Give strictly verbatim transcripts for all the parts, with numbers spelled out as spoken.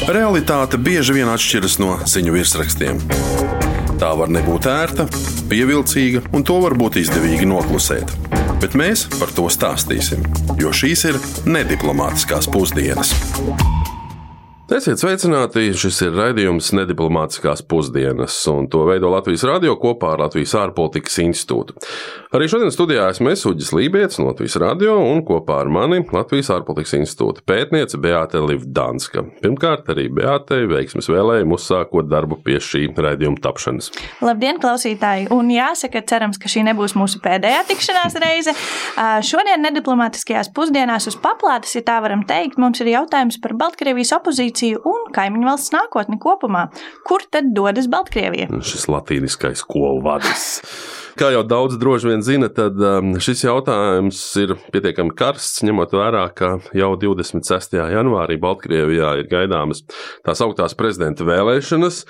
Realitāte bieži vien atšķiras no ziņu virsrakstiem. Tā var nebūt ērta, pievilcīga, un to var būt izdevīgi noklusēt. Bet mēs par to stāstīsim, jo šīs ir nediplomātiskās pusdienas. Esiet sveicināti, šis ir raidījums Nediplomātiskās pusdienas, un to veido Latvijas radio kopā ar Latvijas ārpolitikas institūtu. Arī šodien studijā esmu es, Uģis Lībietis no Latvijas radio, un kopā ar mani Latvijas ārpolitikas institūta pētniece Beāte Livdanska. Pirmkārt, arī Beātei veiksmes vēlējumu uzsākot darbu pie šī raidījuma tapšanas. Labdien, klausītāji! Un jāsaka, cerams, ka šī nebūs mūsu pēdējā tikšanās reize. Šodien Nediplomātiskajās pusdienās uz paplātes, ja tā varam teikt, mums ir jautājums par Baltkrievijas opozīciju un kaimiņu valsts nākotni kopumā. Kur tad dodas Baltkrievija? Šis latīniskais skolu vadis. Kā jau daudz droši vien zina, tad šis jautājums ir pietiekami karsts, ņemot vērā, ka jau divdesmit sestajā janvārī Baltkrievijā ir gaidāmas tās augtās prezidenta vēlēšanas.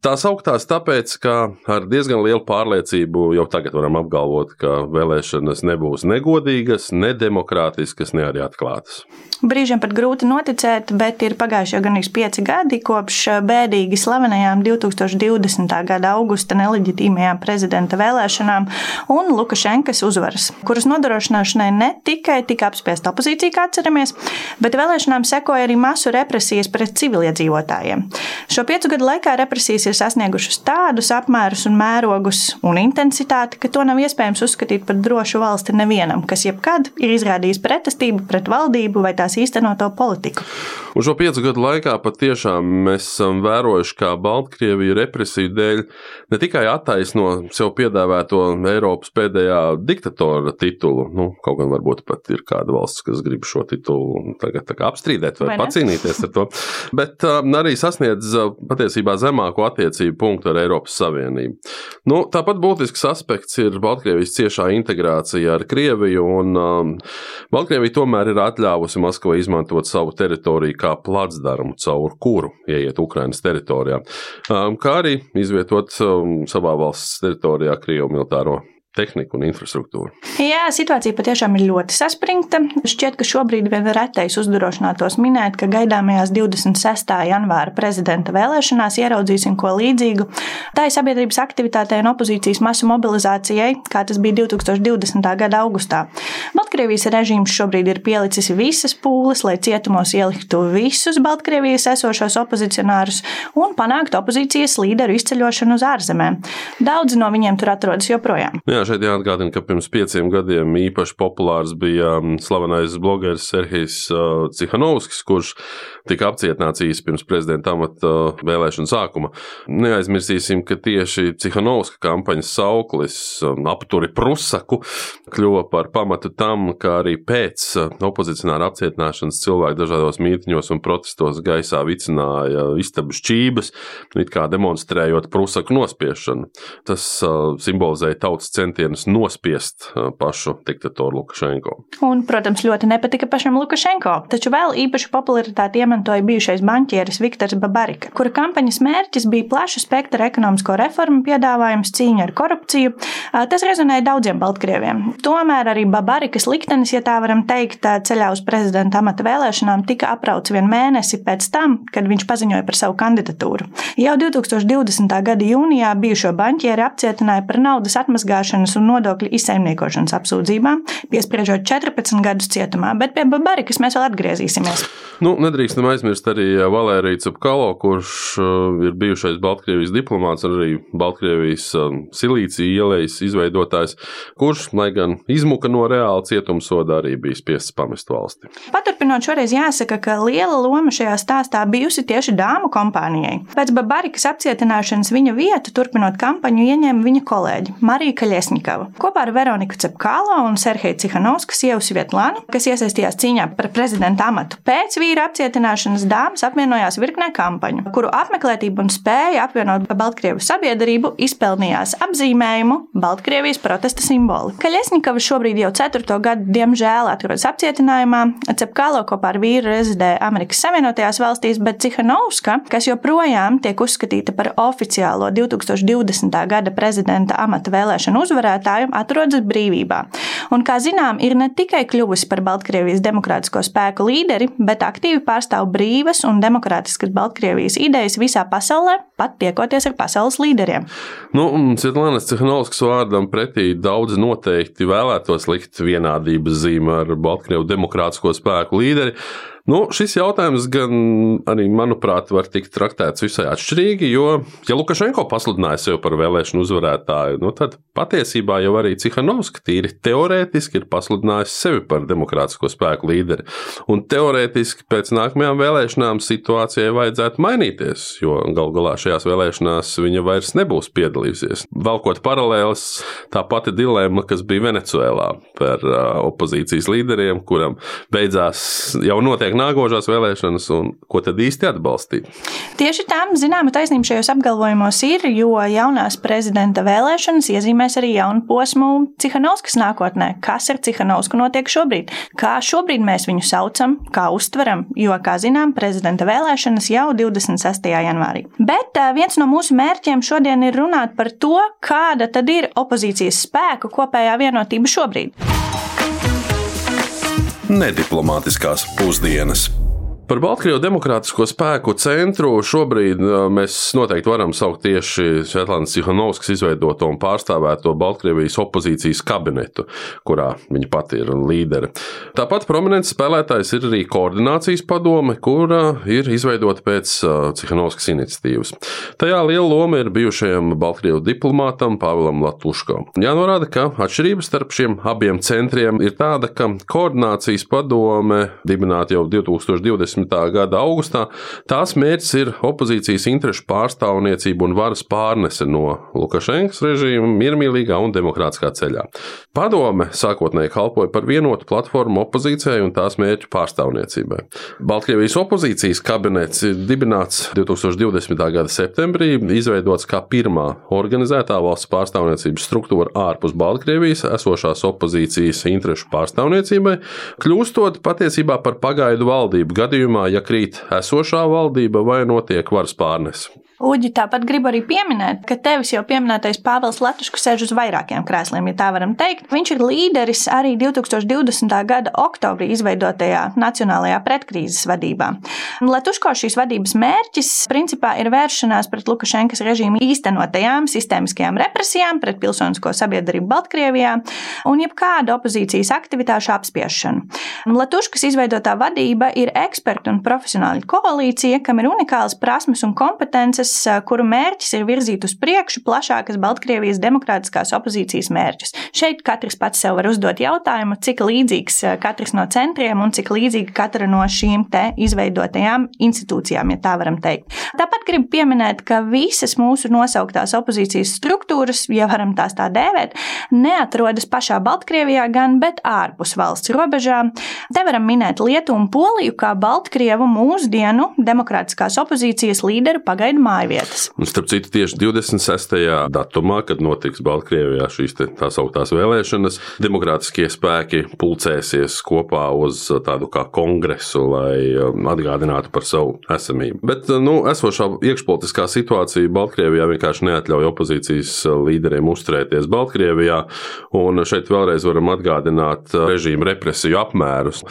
Tās augtās tāpēc, ka ar diezgan lielu pārliecību jau tagad varam apgalvot, ka vēlēšanas nebūs negodīgas, nedemokrātiskas, ne arī atklātas. Brīžiem pat grūti noticēt, bet ir pagājuši jau gandrīz pieci gadi kopš bēdīgi slavenajām divtūkstoš divdesmitā gada augusta neleģitīmajām prezidenta vēlēšanām un Lukašenkas uzvaras, kuras nodrošināšanai ne tikai tika apspiesta opozīcija, kā atceramies, bet vēlēšanām sekoja arī masu represijas pret civiliedzīvotājiem. Šo piecu gadu laikā represijas ir sasniegušas tādus apmērus un mērogus un intensitāti, ka to nav iespējams uzskatīt par drošu valsti nevienam, kas jebkad ir izrādījis pretestību pret valdību vai tās īstenoto politiku. Un šo piecu gadu laikā patiešām mēs esam vērojuši, kā Baltkrievija represiju dēļ ne tikai attaisno sev piedāvāto Eiropas pēdējā diktatora titulu, nu, kaut gan varbūt pat ir kāda valsts, kas grib šo titulu tagad tā kā apstrīdēt vai, vai pacīnīties ar to, bet uh, arī sasniedz uh, patiesībā zemāko attiecību punktu ar Eiropas Savienību. Nu, tāpat būtisks aspekts ir Baltkrievijas ciešā integrācija ar Krieviju, un um, Baltkrievija tomēr ir atļāvusi Maskavai izmantot savu teritoriju kā placdarmu, caur kuru ieiet Ukrainas teritorijā, kā arī izvietot savā valsts teritorijā Krievu militāro tehniku un infrastruktūru. Jā, situācija patiešām ir ļoti saspringta. Šķiet, ka šobrīd vien retais uzdrošinātos minēt, ka gaidāmajās divdesmit sestā janvāra prezidenta vēlēšanās ieraudzīsim ko līdzīgu tai sabiedrības aktivitātei un opozīcijas masu mobilizācijai, kā tas bija divtūkstoš divdesmitā gada augustā. Baltkrievijas režīms šobrīd ir pielicis visas pūles, lai cietumos ieliktu visus Baltkrievijas esošos opozicionārus un panāktu opozīcijas līderu izceļošanu uz ārzemēm. Daudzi no viņiem tur atrodas joprojām. Jā, šeit jāatgādina, ka pirms pieciem gadiem īpaši populārs bija slavenais blogeris Serhijs Cihanovskis, kurš tika apcietināts īsi pirms prezidenta amata vēlēšanu sākuma. Neaizmirsīsim, ka tieši Cihanovska kampaņas sauklis apturi Prusaku kļuva par pamatu tam, ka arī pēc opozicionāra apcietināšanas cilvēki dažādos mītiņos un protestos gaisā vicināja istabu šķības, it kā demonstrējot Prusaku nospiešanu. Tas simbolizēja tautas centienus nospiest pašu diktatoru Lukašenko. Un, protams, ļoti nepatika pašam Lukašenko, taču vēl īpašu popularitāti iemantoja bijušais banķieris Viktors Babarika, kura kampaņas mērķis bija plaša spektra ekonomisko reformu piedāvājums, cīņa ar korupciju. Tas rezonēja daudziem baltkrieviem. Tomēr arī Babarikas liktenis, ja tā varam teikt, ceļā uz prezidenta amata vēlēšanām tika aprauts vien mēnesi pēc tam, kad viņš paziņoja par savu kandidatūru. Jau divtūkstoš divdesmitā gada jūnijā bijušo banķieri apcietināja par naudas atmazgāšanas un nodokļu izsaimniekošanas apsūdzībām, piespriežot četrpadsmit gadus cietumā, bet pie Babarikas mēs vēl atgriezīsimies. Nu, nedrīkstam aizmirst arī Valēriju Cepkalo, kurš ir bijušais Baltkrievijas diplomāts, arī Baltkrievijas Silīcija ielejas izveidotājs, kurš, lai gan izmuka no reāla cietumsoda, arī bija spiests pamest valsti. Paturpinot, šoreiz jāsaka, ka liela loma šajā stāstā bijusi tieši dāmu kompānijai. Pēc Babarikas apcietināšanas viņa vietu, turpinot kampaņu, ieņēma viņa kolēģi Marija Kaļesņikova. Kopā ar Veroniku Cepkalo un Serheju Cihanovsku sievu Svietlānu, kas iesaistījās cīņā par prezidenta amatu. Pēc vīra apcietināšanas dāmas apvienojās virknē kampaņu, kuru apmeklētību un spēja apvienot Baltkrievu sabiedrību izpelnījās apzīmējumu Baltkrievijas protesta simboli. Kaļesņikova šobrīd jau ceturto gadu diemžēl atrodas apcietinājumā. Cepkalo kopā ar vīru rezidē Amerikas Savienotajās valstīs, bet Cihanovska, kas joprojām tiek uzskatīta par oficiālo divtūkstoš divdesmitā gada prezidenta amata vēlēšanu uzvarētāju, uzvarētāju atrodas brīvībā. Un, kā zinām, ir ne tikai kļuvusi par Baltkrievijas demokrātisko spēku līderi, bet aktīvi pārstāv brīvas un demokrātiskas Baltkrievijas idejas visā pasaulē, pat tiekoties ar pasaules līderiem. Nu, Svetlānas Cihanovskas vārdam pretī daudz noteikti vēlētos likt vienādības zīmi ar Baltkrievu demokrātisko spēku līderi. Nu, šis jautājums gan arī, manuprāt, var tikt traktēts visai atšķirīgi, jo, ja Lukašenko pasludināja sevi par vēlēšanu uzvarētāju, nu, tad patiesībā jau arī Cihanovska tīri teorētiski ir pasludinājusi sevi par demokrātisko spēku līderi. Un teorētiski pēc nākamajām vēlēšanām situācijai vajadzētu mainīties, jo gal galā šajās vēlēšanās viņa vairs nebūs piedalījusies. Valkot paralēles, tā pati dilemma, kas bija Venecuēlā par uh, opozīcijas līderiem, kuram beidzās jau notiek nākošās vēlēšanas, un ko tad īsti atbalstīt? Tieši tā, zināma taisnība šajos apgalvojumos ir, jo jaunās prezidenta vēlēšanas iezīmēs arī jaunu posmu Cihanovskas nākotnē. Kas ar Cihanovsku notiek šobrīd? Kā šobrīd mēs viņu saucam, kā uztveram, jo, kā zinām, prezidenta vēlēšanas jau divdesmit sestajā janvārī. Bet viens no mūsu mērķiem šodien ir runāt par to, kāda tad ir opozīcijas spēku kopējā vienotība šobrīd. Nediplomātiskās pusdienas. Par Baltkrievu demokrātisko spēku centru šobrīd mēs noteikti varam saukt tieši Svetlānas Cihanovskas izveidoto un pārstāvēto Baltkrievijas opozīcijas kabinetu, kurā viņa pati ir līdere. Tāpat prominents spēlētājs ir arī koordinācijas padome, kura ir izveidota pēc Cihanovskas iniciatīvas. Tajā liela loma ir bijušajam Baltkrievu diplomātam Pavelam Latuško. Jānorāda, ka atšķirības starp šiem abiem centriem ir tāda, ka koordinācijas padome dibināta jau divtūkstoš divdesmitā gada augustā, tās mērķis ir opozīcijas interešu pārstāvniecība un varas pārnese no Lukašenkas režīma miermīlīgā un demokrātiskā ceļā. Padome sākotnēji kalpoja par vienotu platformu opozīcijai un tās mērķu pārstāvniecībai. Baltkrievijas opozīcijas kabinets ir dibināts divtūkstoš divdesmitā gada septembrī, izveidots kā pirmā organizētā valsts pārstāvniecības struktūra ārpus Baltkrievijas esošās opozīcijas interešu pārstāvniecībai, kļūstot patiesībā par pagaidu valdību gadījumu, ja krīt esošā valdība vai notiek varas pārnese. Uģi, tāpat gribu arī pieminēt, ka tevis jau pieminētais Pāvels Latuška sēž uz vairākiem krēsliem, ja tā varam teikt. Viņš ir līderis arī divtūkstoš divdesmitā gada oktobrī izveidotajā Nacionālajā pretkrīzes vadībā. Latuško šīs vadības mērķis principā ir vēršanās pret Lukašenkas režīmu īstenotajām sistēmiskajām represijām pret pilsonisko sabiedrību Baltkrievijā un jebkādu opozīcijas aktivitāšu apspiešanu. Latuškas izveidotā vadība ir ekspertu un profesionāļu koalīcija, kam ir unikālas prasmes un kompetences, kuru mērķis ir virzīt uz priekšu plašākas Baltkrievijas demokrātiskās opozīcijas mērķus. Šeit katrs pats sev var uzdot jautājumu, cik līdzīgs katrs no centriem un cik līdzīga katra no šīm te izveidotajām institūcijām, ja tā varam teikt. Tāpat gribu pieminēt, ka visas mūsu nosauktās opozīcijas struktūras, ja varam tās tā dēvēt, neatrodas pašā Baltkrievijā gan, bet ārpus valsts robežām. Te varam minēt Lietuvu un Poliju kā Baltkrievu mūsdienu demokrātiskās opozīcijas līderu pagaidu mājvietas. Un starp citu, tieši divdesmit sestajā datumā, kad notiks Baltkrievijā šīs tā sauktās vēlēšanas, demokrātiskie spēki pulcēsies kopā uz tādu kā kongresu, lai atgādinātu par savu esamību. Bet, nu, esošā iekšpolitiskā situācija Baltkrievijā vienkārši neatļauj opozīcijas līderiem uzturēties Baltkrievijā, un šeit vēlreiz varam atgādināt režīma represiju apmērus.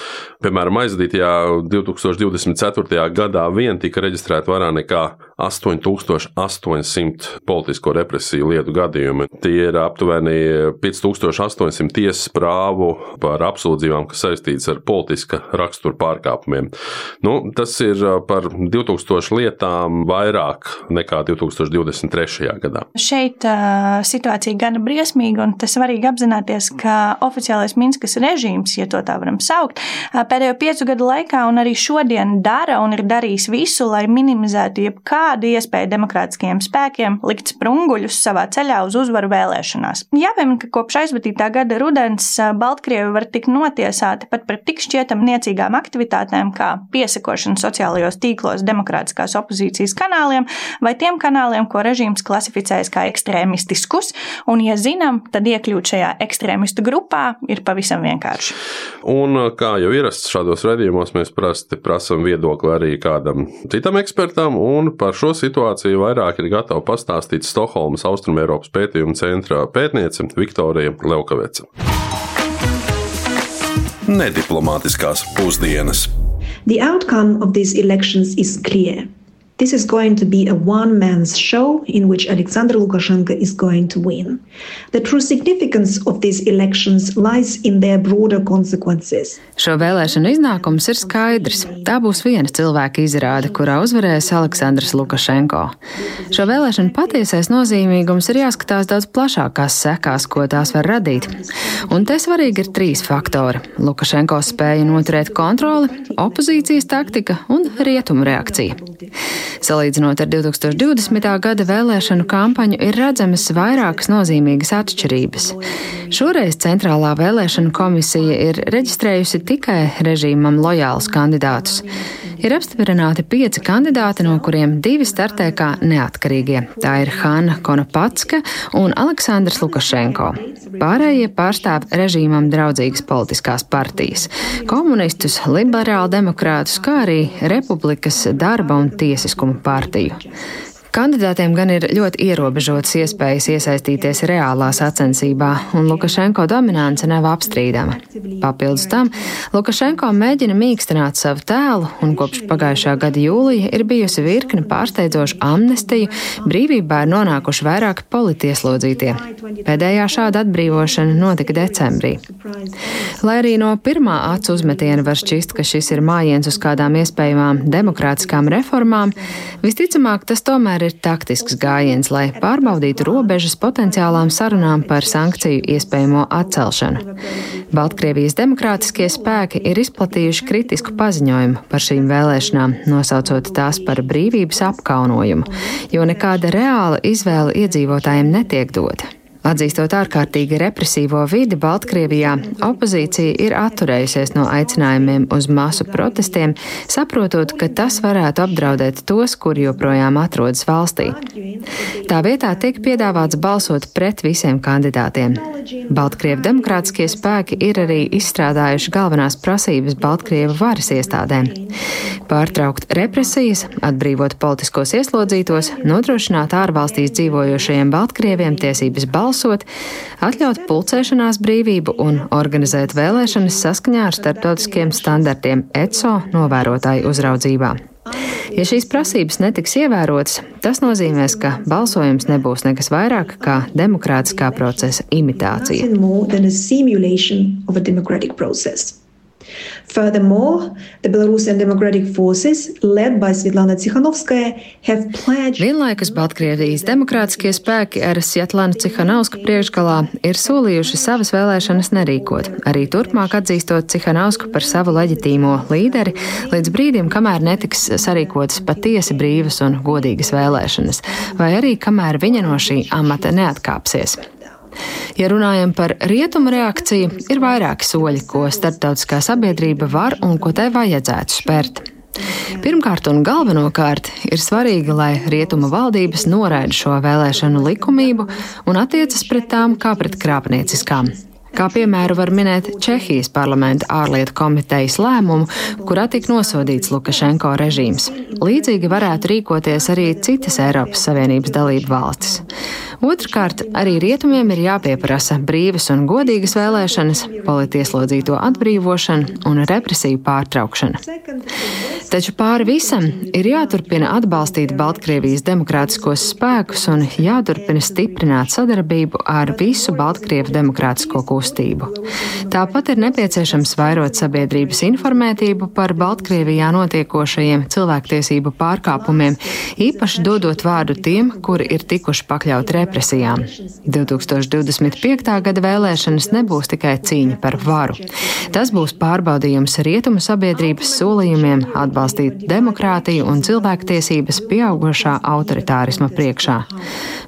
Piemēram, aizvadītajā divtūkstoš divdesmit ceturtajā gadā vien tika reģistrēta vairāk nekā astoņi tūkstoši astoņsimt politisko represiju lietu gadījumi. Tie ir aptuveni pieci tūkstoši astoņsimt tiesas prāvu par apsūdzībām, kas saistītas ar politiska rakstura pārkāpumiem. Nu, tas ir par divtūkstoši lietām vairāk nekā divtūkstoš divdesmit trešajā gadā. Šeit uh, situācija gana briesmīga, un tas svarīgi apzināties, ka oficiālais Minskas režīms, ja to tā varam saukt, pēdējo piecu gadu laikā un arī šodien dara un ir darījis visu, lai minimizētu jebkādu iespēju demokrātiskajiem spēkiem likt sprunguļus savā ceļā uz uzvaru vēlēšanās. Jāpiemina, ka kopš aizvadītā gada rudens Baltkrievi var tikt notiesāti pat par tik šķietam niecīgām aktivitātēm kā piesakošana sociālajos tīklos demokrātiskās opozīcijas kanāliem vai tiem kanāliem, ko režīms klasificējas kā ekstrēmistiskus, un, ja zinām, tad iekļūt šajā ekstrēmistu grupā ir pavisam vienkārši. Un kā jau ierasts šādos raidījumos, mēs parasti prasam viedokli arī kādam citam ekspertam, un par par šo situāciju vairāk ir gatava pastāstīt Stokholmas Austrumeiropas pētījuma centra pētniece Viktorija Levkaveca. Nediplomātiskās pusdienas. The outcome of these elections is clear. This is going to be a one-man's show in which Alexander Lukashenko is going to win. The true significance of these elections lies in their broader consequences. Šo vēlēšanu iznākums ir skaidrs. Tā būs viena cilvēka izrāde, kurā uzvarēs Aleksandrs Lukašenko. Šo vēlēšanu patiesais nozīmīgums ir jāskatās daudz plašākās sekās, ko tās var radīt. Un te svarīgi ir trīs faktori – Lukašenko spēja noturēt kontroli, opozīcijas taktika un rietumu reakcija. Salīdzinot ar divtūkstoš divdesmitā gada vēlēšanu kampaņu, ir redzamas vairākas nozīmīgas atšķirības. Šoreiz Centrālā vēlēšanu komisija ir reģistrējusi tikai režīmam lojālus kandidātus. Ir apstiprināti pieci kandidāti, no kuriem divi startē kā neatkarīgie. Tā ir Hanna Konopatska un Aleksandrs Lukašenko. Pārējie pārstāv režīmam draudzīgas politiskās partijas – komunistus, liberāldemokrātus, kā arī Republikas darba un tiesiskuma partiju. Kandidātiem gan ir ļoti ierobežotas iespējas iesaistīties reālā sacensībā, un Lukašenko dominance nav apstrīdama. Papildus tam, Lukašenko mēģina mīkstināt savu tēlu, un kopš pagājušā gada jūlija ir bijusi virkne pārsteidzošu amnestiju, brīvībā ir nonākuši vairāki politieslodzītie. Pēdējā šāda atbrīvošana notika decembrī. Lai arī no pirmā acu uzmetiena var šķist, ka šis ir mājiens uz kādām iespējamām demokrātiskām reformām, visticamāk tas tomēr ir taktisks gājiens, lai pārbaudītu robežas potenciālām sarunām par sankciju iespējamo atcelšanu. Baltkrievijas demokrātiskie spēki ir izplatījuši kritisku paziņojumu par šīm vēlēšanām, nosaucot tās par brīvības apkaunojumu, jo nekāda reāla izvēle iedzīvotājiem netiek dota. Atzīstot ārkārtīgi represīvo vidi Baltkrievijā, opozīcija ir atturējusies no aicinājumiem uz masu protestiem, saprotot, ka tas varētu apdraudēt tos, kuri joprojām atrodas valstī. Tā vietā tiek piedāvāts balsot pret visiem kandidātiem. Baltkrievu demokrātiskie spēki ir arī izstrādājuši galvenās prasības Baltkrievu varas iestādēm – pārtraukt represijas, atbrīvot politiskos ieslodzītos, nodrošināt ārvalstīs dzīvojošajiem Baltkrieviem tiesības balsot, atļaut pulcēšanās brīvību un organizēt vēlēšanas saskaņā ar starptautiskiem standartiem E C O novērotāju uzraudzībā. Ja šīs prasības netiks ievērotas, tas nozīmēs, ka balsojums nebūs nekas vairāk kā demokrātiskā procesa imitācija. Furthermore, the Belarusian Democratic Forces, led by Svetlana Tikhanovskaya, have pledged... Vienlaikus Baltkrievijas demokrātiskie spēki ar Svetlanu Tikhanovsku priekšgalā ir solījuši savas vēlēšanas nerīkot, arī turpmāk atzīstot Tikhanovsku par savu leģitīmo līderi, līdz brīdim, kamēr netiks sarīkotas patiesi brīvas un godīgas vēlēšanas, vai arī kamēr viņa no šī amata neatkāpsies. Ja runājam par rietumu reakciju, ir vairāki soļi, ko starptautiskā sabiedrība var un ko tai vajadzētu spērt. Pirmkārt un galvenokārt ir svarīgi, lai rietumu valdības noraida šo vēlēšanu likumību un attiecas pret tām kā pret krāpnieciskām. Kā piemēru var minēt Čehijas parlamenta ārlietu komitejas lēmumu, kurā tika nosodīts Lukašenko režīms. Līdzīgi varētu rīkoties arī citas Eiropas Savienības dalību valstis. Otrkārt, arī rietumiem ir jāpieprasa brīvas un godīgas vēlēšanas, politieslodzīto atbrīvošana un represiju pārtraukšana. Taču pāri visam ir jāturpina atbalstīt Baltkrievijas demokrātiskos spēkus un jāturpina stiprināt sadarbību ar visu Baltkrievu demokrātisko kustību. Tāpat ir nepieciešams vairot sabiedrības informētību par Baltkrievijā notiekošajiem cilvēktiesību pārkāpumiem, īpaši dodot vārdu tiem, kuri ir tikuši pakļauti represijām. divtūkstoš divdesmit piektā gada vēlēšanas nebūs tikai cīņa par varu. Tas būs pārbaudījums rietumu sabiedrības solījumiem atbalstīt demokrātiju un cilvēktiesības pieaugušā autoritārisma priekšā.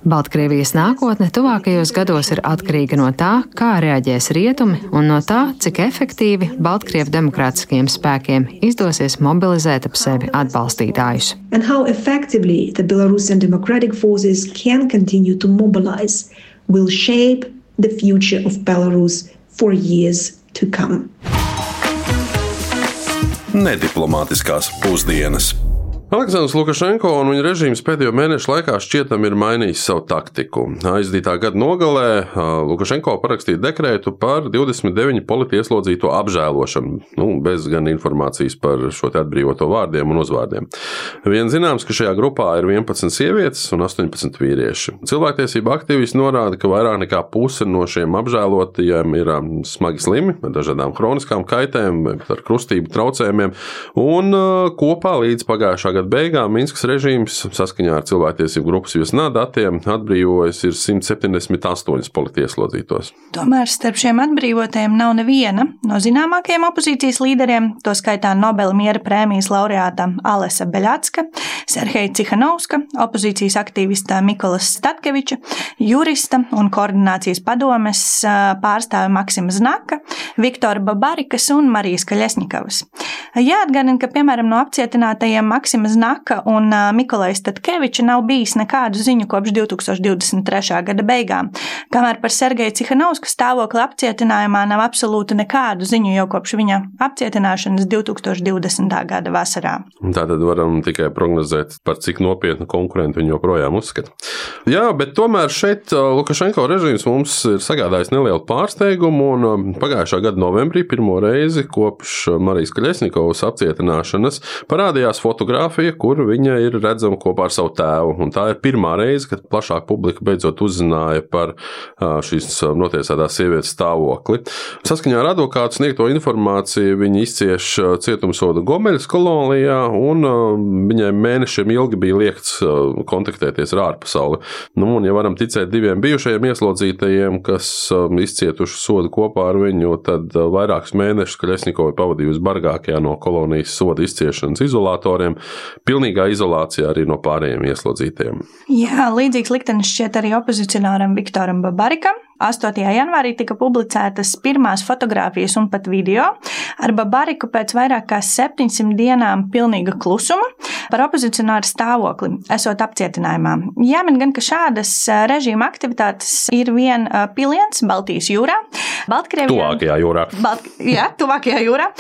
Baltkrievijas nākotne tuvākajos gados ir atkarīga no tā, kā reaģēs rietumi un no tā, cik efektīvi Baltkrievu demokrātiskajiem spēkiem izdosies mobilizēt ap sevi atbalstītājus. And how effectively the Belarusian democratic forces can continue to mobilize will shape the future of Belarus for years to come. Nediplomātiskās pusdienas. Aleksandrs Lukašenko un viņa režīms pēdējo mēnešu laikā šķietam ir mainījis savu taktiku. Aizdītā gada nogalē Lukašenko parakstīja dekrētu par divdesmit deviņu politieslodzīto apžēlošanu, nu, bez gan informācijas par šo te atbrīvoto vārdiem un uzvārdiem. Vien zināms, ka šajā grupā ir vienpadsmit sievietes un astoņpadsmit vīrieši. Cilvēktiesība aktīvisti norāda, ka vairāk nekā puse no šiem apžēlotajiem ir smagi slimi, ar dažādām hroniskām kaitēm, ar krustību traucējumiem, un kopā līdz pagājušā gada beigām Minskas režīms saskaņā ar cilvēktiesību grupas Viesnā datiem atbrīvojas ir simt septiņdesmit astoņi politieslodzītos. Tomēr starp šiem atbrīvotajiem nav neviena no zināmākajiem opozīcijas līderiem, to skaitā Nobela miera prēmijas laureāta Alesa Beļatska, Serheja Cihanovska, opozīcijas aktīvista Mikolas Statkeviča, jurista un koordinācijas padomes pārstāve Maksima Znaka, Viktora Babarikas un Marijas Kaļesņikavas. Jāatgādina, ka, piemēram, no apcietinātajiem Maksima Znaka un Mikolaja Statkeviča nav bijis nekādu ziņu kopš divi tūkstoši divdesmit trešā gada beigām, kamēr par Sergeju Cihanovska stāvokli apcietinājumā nav absolūti nekādu ziņu jau kopš viņa apcietināšanas divi tūkstoši divdesmitā gada vasarā. Tātad varam tikai prognozēt, par cik nopietnu konkurentu viņi joprojām uzskata. Jā, bet tomēr šeit Lukašenko režīms mums ir sagādājis nelielu pārsteigumu, un pagājušā gada novembrī pirmo reizi kopš Marijas Kaļesņikovas apcietināšanas parādījās fotogrāfija, kur viņa ir redzama kopā ar savu tēvu. Un tā ir pirmā reize, kad plašāk publika beidzot uzzināja par šīs notiesātās sievietes stāvokli. Saskaņā ar advokātu sniegto informāciju viņa izcieš cietumsodu Gomeļas kolonijā, un viņai mēnešiem ilgi bija liekts kontaktēties ar ārpasauli. Nu, un ja varam ticēt diviem bijušajiem ieslodzītajiem, kas izcietuši sodu kopā ar viņu, tad vairākus mēnešus Kaļesņikova pavadījusi bargākajā no kolonijas soda izciešanas izolatoriem, pilnīgā izolācijā arī no pārējiem ieslodzītajiem. Jā, līdzīgs liktenis šķiet arī opozicionāram Viktoram Babarikam. astotajā janvārī tika publicētas pirmās fotogrāfijas un pat video ar Babariku pēc vairāk kā septiņsimt dienām pilnīga klusuma par opozicionāru stāvokli, esot apcietinājumā. Jāmin gan, ka šādas režīma aktivitātes ir vien piliens Baltijas jūrā. Baltkrievijā, tuvākajā jūrā. Balt, jā, tuvākajā jūrā.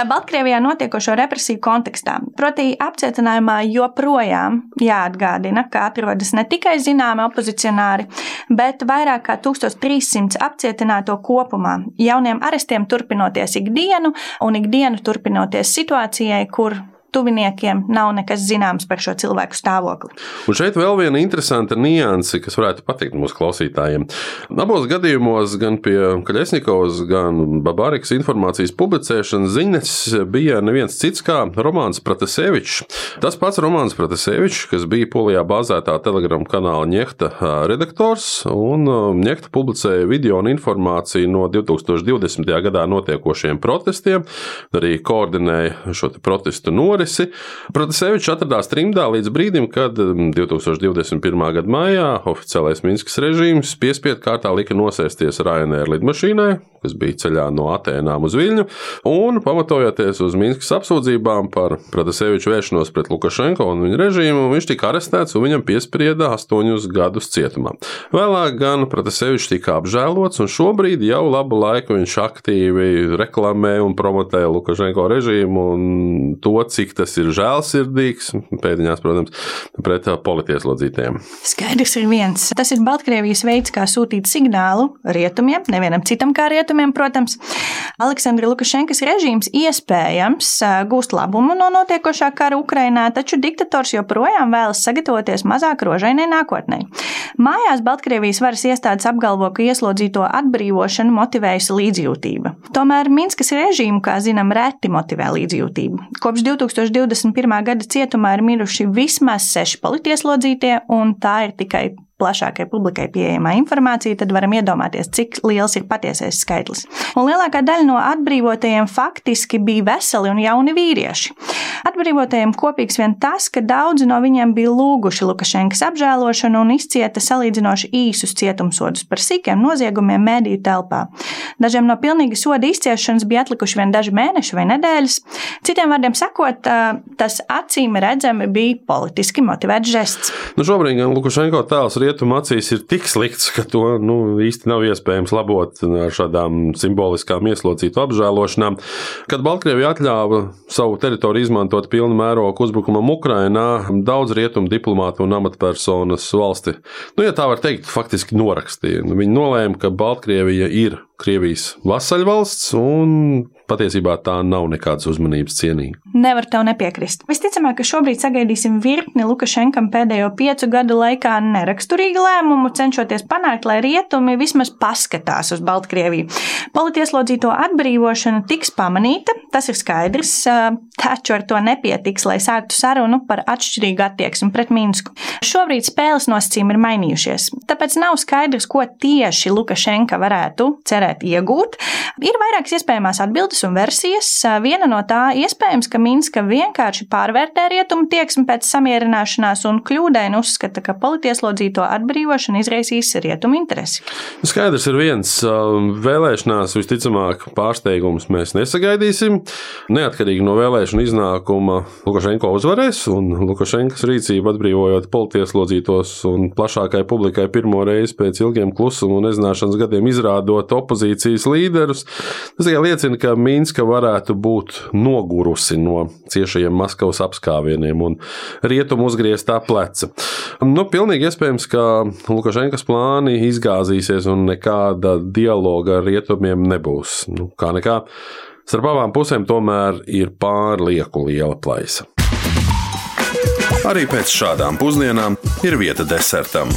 Baltkrievijā notiekošo represiju kontekstā. Proti apcietinājumā joprojām jāatgādina, ka atrodas ne tikai zināmi opozicionāri, bet vairāk kā tūkstoš trīssimts apcietināto kopumā. Jauniem arestiem turpinoties ikdienu un ikdienu turpinoties situācijai, kur tuviniekiem nav nekas zināms par šo cilvēku stāvokli. Un šeit vēl viena interesanta nianse, kas varētu patikt mūsu klausītājiem. Abos gadījumos, gan pie Kaļesņikovas, gan Babarikas informācijas publicēšanas ziņas bija neviens cits kā Romāns Pratasevičs. Tas pats Romāns Pratasevičs, kas bija Polijā bāzētā Telegram kanāla Ņehta redaktors, un Ņehta publicēja video un informāciju no divi tūkstoši divdesmitajā gadā notiekošiem protestiem, arī koordinēja šo te protestu norisi. Pratasevičs atradās trimdā līdz brīdim, kad divi tūkstoši divdesmit pirmā gada maijā oficiālais Minskas režīms piespiedu kārtā lika nosēsties Ryanair lidmašīnai, kas bija ceļā no Atēnām uz Viļņu, un pamatojoties uz Minskas apsūdzībām par Prataseviču vēršanos pret Lukašenko un viņa režīmu, viņš tika arestēts un viņam piesprieda astoņus gadus cietumā. Vēlāk gan Pratasevičs tika apžēlots, un šobrīd jau labu laiku viņš aktīvi reklamē un promotē Lukašenko režīmu un to, cik tas ir žēlsirdīgs, pēdiņās, protams, pret politieslodzītajiem. Skaidrs ir viens. Tas ir Baltkrievijas veids, kā sūtīt signālu rietumiem, nevienam citam kā rietumiem, protams. Aleksandra Lukašenkas režīms iespējams gūst labumu no notiekošā kara Ukrainā, taču diktators joprojām vēlas sagatavoties mazāk rožainai nākotnē. Mājās Baltkrievijas varas iestādes apgalvo, ka ieslodzīto atbrīvošanu motivējusi līdzjūtība. Tomēr Minskas režīmu, kā zinām, reti motivē līdzjūtību. Kopš divi tūkstoši divdesmit pirmā gada cietumā ir miruši vismaz seši politieslodzītie, un tā ir tikai plašākai publikai pieejamā informācija, tad varam iedomāties, cik liels ir patiesais skaitlis. Un lielākā daļa no atbrīvotajiem faktiski bija veseli un jauni vīrieši. Atbrīvotajiem kopīgs vien tas, ka daudzi no viņiem bija lūguši Lukašenkas apžēlošanu un izcieta salīdzinoši īsus cietumsodus par sīkiem noziegumiem mediju telpā. Dažiem no pilnīga soda izciešanas bija atlikuši vien daži mēneši vai nedēļas. Citiem vārdiem sakot, tas acīm redzami bija politiski motivēts žests. Nu, šobrīd gan Lukašenko tēls rietumu acīs ir tik slikts, ka to nu, īsti nav iespējams labot ar šādām simboliskām ieslodzītu apžēlošanām. Kad Baltkrievija atļāva savu teritoriju izmantot pilnu mērogu uzbrukumam Ukrainā, daudz rietumu diplomātu un amatpersonas valsti, nu, ja tā var teikt, faktiski norakstīja. Viņi nolēma, ka Baltkrievija ir Krievijas vasaļvalsts un patiesībā tā nav nekādas uzmanības cienīga. Nevar tev nepiekrist. Visticamāk, ka šobrīd sagaidīsim virkni Lukašenkam pēdējo piecu gadu laikā neraksturīgu lēmumu, cenšoties panākt, lai rietumi vismaz paskatās uz Baltkrieviju. Politieslodzīto atbrīvošana tiks pamanīta, tas ir skaidrs, taču ar to nepietiks, lai sāktu sarunu par atšķirīgu attieksmi pret Minsku. Šobrīd spēles nosacījumi ir mainījušies, tāpēc nav skaidrs, ko tieši Lukašenka varētu cerēt iegūt. Ir vairākas iespējamās atbildes un versijas. Viena no tā iespējams, ka Minska vienkārši pārvērtē rietumu tieksmi pēc samierināšanās un kļūdaini uzskata, ka politieslodzīto atbrīvošana izraisīs rietumu interesi. Skaidrs ir viens, vēlēšanās visticamāk pārsteigums mēs nesagaidīsim. Neatkarīgi no vēlēšanu iznākuma Lukašenko uzvarēs un Lukašenkas rīcību atbrīvojot politieslodzītos un plašākai publikai pirmo reizi pēc ilgiem klusuma un nezināšanas gadiem izrādot opozīcijas līderus. Tas tikai liecina, ka Minska varētu būt nogurusi no ciešajiem Maskavas apskāvieniem un rietumu uzgrieztā pleca. Nu, pilnīgi iespējams, ka Lukašenkas plāni izgāzīsies un nekāda dialoga ar rietumiem nebūs. Nu, kā nekā, starp abām pusēm tomēr ir pārlieku liela plaisa. Arī pēc šādām pusdienām ir vieta desertam.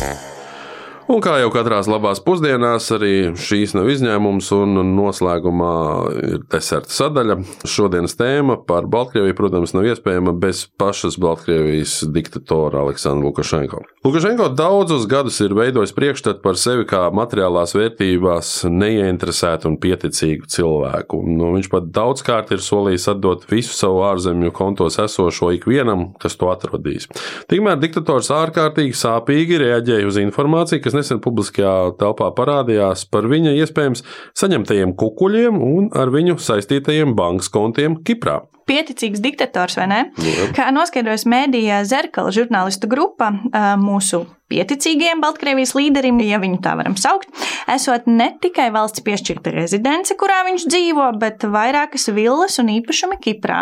Un kā jau katrās labās pusdienās, arī šīs nav izņēmums un noslēgumā ir deserta sadaļa. Šodienas tēma par Baltkrieviju, protams, nav iespējama bez pašas Baltkrievijas diktatora Aleksandra Lukašenko. Lukašenko daudzus gadus ir veidojis priekšstatu par sevi kā materiālās vērtībās neieinteresētu un pieticīgu cilvēku. Nu, viņš pat daudzkārt ir solījis atdot visu savu ārzemju kontos esošo ikvienam, kas to atrodīs. Tikmēr diktators ārkārtīgi sāpīgi reaģēja uz informāciju, kas nesen publiskajā telpā parādījās par viņa iespējams saņemtajiem kukuļiem un ar viņu saistītajiem bankas kontiem Kiprā. Pieticīgs diktators, vai ne? Jā. Kā noskaidrojas mēdījā Zerkala žurnālistu grupa, mūsu pieticīgajiem Baltkrievijas līderim, ja viņu tā varam saukt, esot ne tikai valsts piešķirta rezidence, kurā viņš dzīvo, bet vairākas villas un īpašumi Kiprā.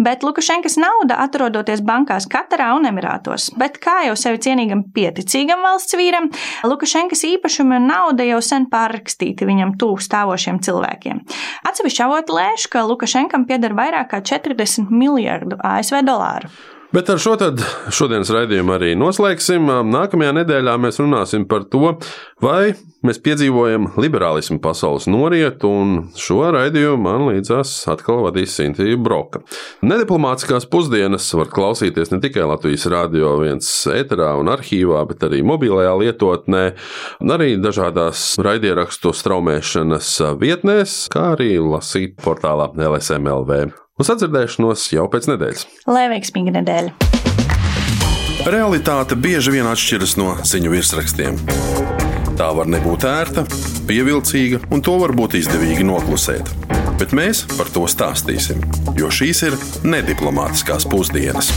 Bet Lukašenkas nauda atrodoties bankās Katarā un Emirātos. Bet kā jau sevi cienīgam pieticīgam valsts vīram, Lukašenkas īpašumi un nauda jau sen pārrakstīti viņam tuvu stāvošiem cilvēkiem. Atsevišķi avoti lēš, ka Lukašenkam pieder vairāk kā četrdesmit miljardu A S V dolāru. Bet ar šo tad šodienas raidījumu arī noslēgsim. Nākamajā nedēļā mēs runāsim par to, vai mēs piedzīvojam liberālismu pasaules norietu, un šo raidījumu man līdzās atkal vadīs Sintija Broka. Nediplomātiskās pusdienas var klausīties ne tikai Latvijas Radio viens ēterā un arhīvā, bet arī mobilajā lietotnē, arī dažādās raidierakstu straumēšanas vietnēs, kā arī lasīt portālā L S M L V. Uz atdzirdēšanos jau pēc nedēļas. Lai veiksmīga nedēļa! Realitāte bieži vien atšķiras no ziņu virsrakstiem. Tā var nebūt ērta, pievilcīga, un to var būt izdevīgi noklusēt. Bet mēs par to stāstīsim, jo šīs ir nediplomātiskās pusdienas.